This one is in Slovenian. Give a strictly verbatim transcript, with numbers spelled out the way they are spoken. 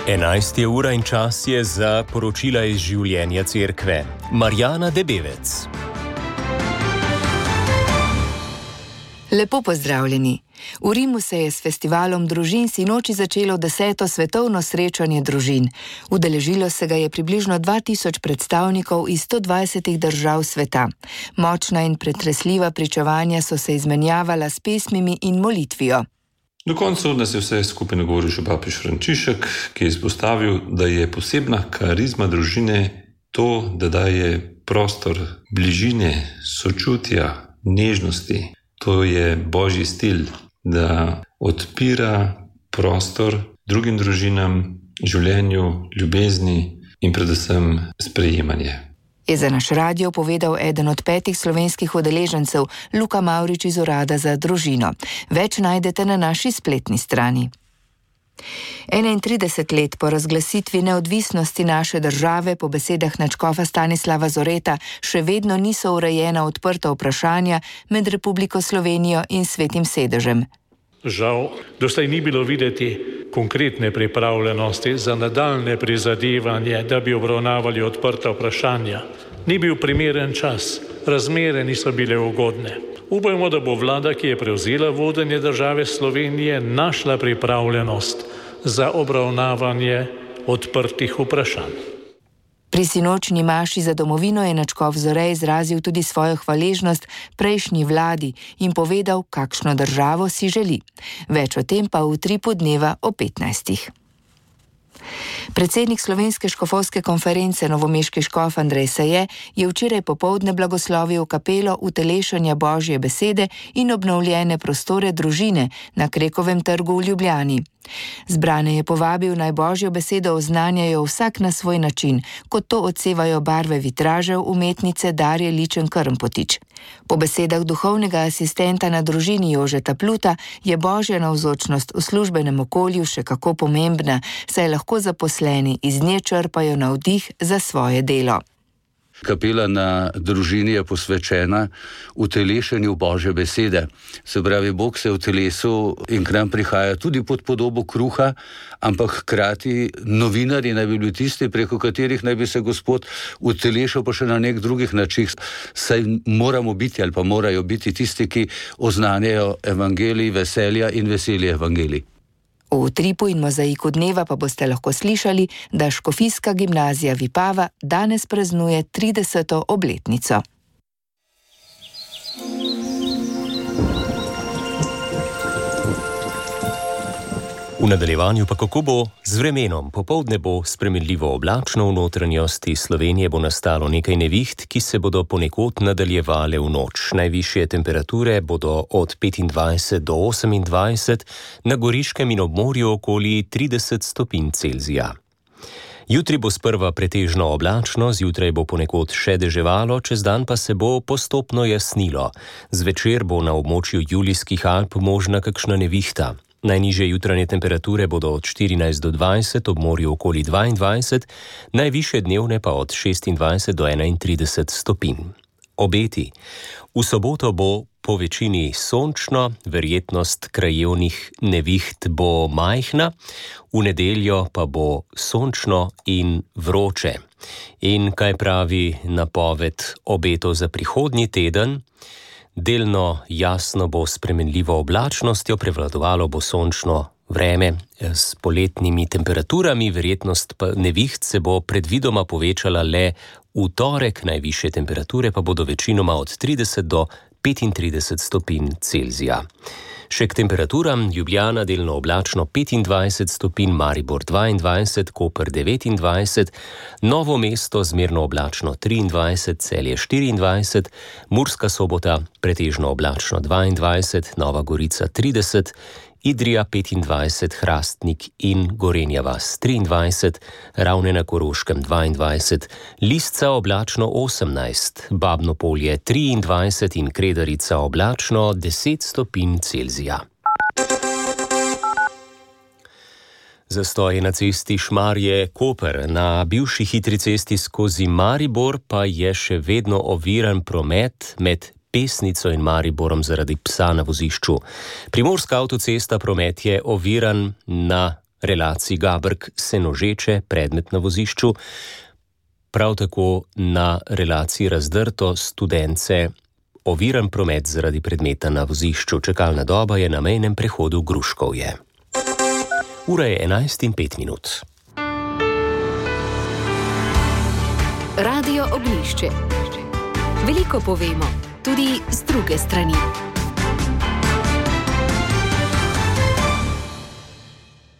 enajsta ura in čas je za poročila iz življenja cerkve. Marjana Debevec. Lepo pozdravljeni. V Rimu se je s festivalom družin sinoči začelo deseto svetovno srečanje družin. Udeležilo se ga je približno dva tisoč predstavnikov iz sto dvajsetih držav sveta. Močna in pretresljiva pričevanja so se izmenjavala s pesmimi in molitvijo. Do konca nas je vse skupaj nagovoril še papež Frančišek, ki je izpostavil, da je posebna karizma družine to, da daje prostor bližine, sočutja, nežnosti. To je božji stil, da odpira prostor drugim družinam, življenju, ljubezni in predvsem sprejemanje. Je za naš radio povedal eden od petih slovenskih udeležencev, Luka Mavrič iz Urada za družino. Več najdete na naši spletni strani. enaintrideset let po razglasitvi neodvisnosti naše države po besedah nadškofa Stanislava Zoreta še vedno niso urejena odprta vprašanja med Republiko Slovenijo in Svetim sedežem. Žal, doslej ni bilo videti konkretne pripravljenosti za nadaljne prizadevanje, da bi obravnavali odprta vprašanja. Ni bil primeren čas, razmere niso bile ugodne. Upajmo, da bo vlada, ki je prevzela vodenje države Slovenije, našla pripravljenost za obravnavanje odprtih vprašanj. Pri sinočni maši za domovino je nadškof Zore izrazil tudi svojo hvaležnost prejšnji vladi in povedal, kakšno državo si želi. Več o tem pa v utripu dneva o petnajstih. Predsednik Slovenske škofovske konference novomeški škof Andrej Saje je včeraj popoldne blagoslovil kapelo utelešanja Božje besede in obnovljene prostore družine na Krekovem trgu v Ljubljani. Zbrane je povabil, naj Božjo besedo oznanjajo vsak na svoj način, kot to odsevajo barve vitražev umetnice Darje Ličen Krmpotič. Po besedah duhovnega asistenta na družini Jožeta Pluta je Božja navzočnost v službenem okolju še kako pomembna, saj lahko zaposleni iz nje črpajo navdih za svoje delo. Kapela na družini je posvečena utelešenju Božje besede. Se pravi, Bog se v telesu in k nam prihaja tudi pod podobo kruha, ampak hkrati novinarji naj bi bili tisti, preko katerih naj bi se Gospod utelešal pa še na nek drugih način. Saj moramo biti ali pa morajo biti tisti, ki oznanjajo evangelij veselja in veselje evangelij. V utripu in mozaiku dneva pa boste lahko slišali, da Škofijska gimnazija Vipava danes praznuje trideseto obletnico. V nadaljevanju pa kako bo z vremenom. Popoldne bo spremenljivo oblačno, v notranjosti Slovenije bo nastalo nekaj neviht, ki se bodo ponekod nadaljevale v noč. Najvišje temperature bodo od petindvajset do osemindvajset, na Goriškem in ob morju okoli trideset stopinj Celzija. Jutri bo sprva pretežno oblačno, zjutraj bo ponekod še deževalo, čez dan pa se bo postopno jasnilo. Zvečer bo na območju Julijskih Alp možna kakšna nevihta. Najnižje jutranje temperature bodo od štirinajst do dvajset, ob morju okoli dvaindvajset, najvišje dnevne pa od šestindvajset do enaintrideset stopinj. Obeti. V soboto bo po večini sončno, verjetnost krajevnih neviht bo majhna, v nedeljo pa bo sončno in vroče. In kaj pravi napoved obetov za prihodnji teden? Delno jasno bo spremenljivo oblačnostjo, prevladovalo bo sončno vreme s poletnimi temperaturami, verjetnost neviht se bo predvidoma povečala le v torek, najvišje temperature pa bodo večinoma od trideset do petintrideset stopinj Celzija. Še k temperaturam: Ljubljana delno oblačno petindvajset stopinj, Maribor dvaindvajset, Koper devetindvajset, Novo mesto zmerno oblačno triindvajset, Celje štiriindvajset, Murska Sobota pretežno oblačno dvaindvajset, Nova Gorica trideset, Idrija petindvajset, Hrastnik in Gorenja vas triindvajset, Ravne na Koroškem dvaindvajset, Lisca oblačno osemnajst, Babno Polje triindvajset in Kredarica oblačno deset stopinj Celzija. Zastoj na cesti Šmarje-Koper. Na bivši hitri cesti skozi Maribor pa je še vedno oviran promet med Pesnico in Mariborom zaradi psa na vozišču. Primorska avtocesta promet je oviran na relaciji Gabrk-Senožeče, predmet na vozišču, prav tako na relaciji Razdrto Studence oviran promet zaradi predmeta na vozišču. Čakalna doba je na mejnem prehodu Gruškovje. Ura je enajst in pet minut. Radio Oglišče. Veliko povemo, tudi z druge strani.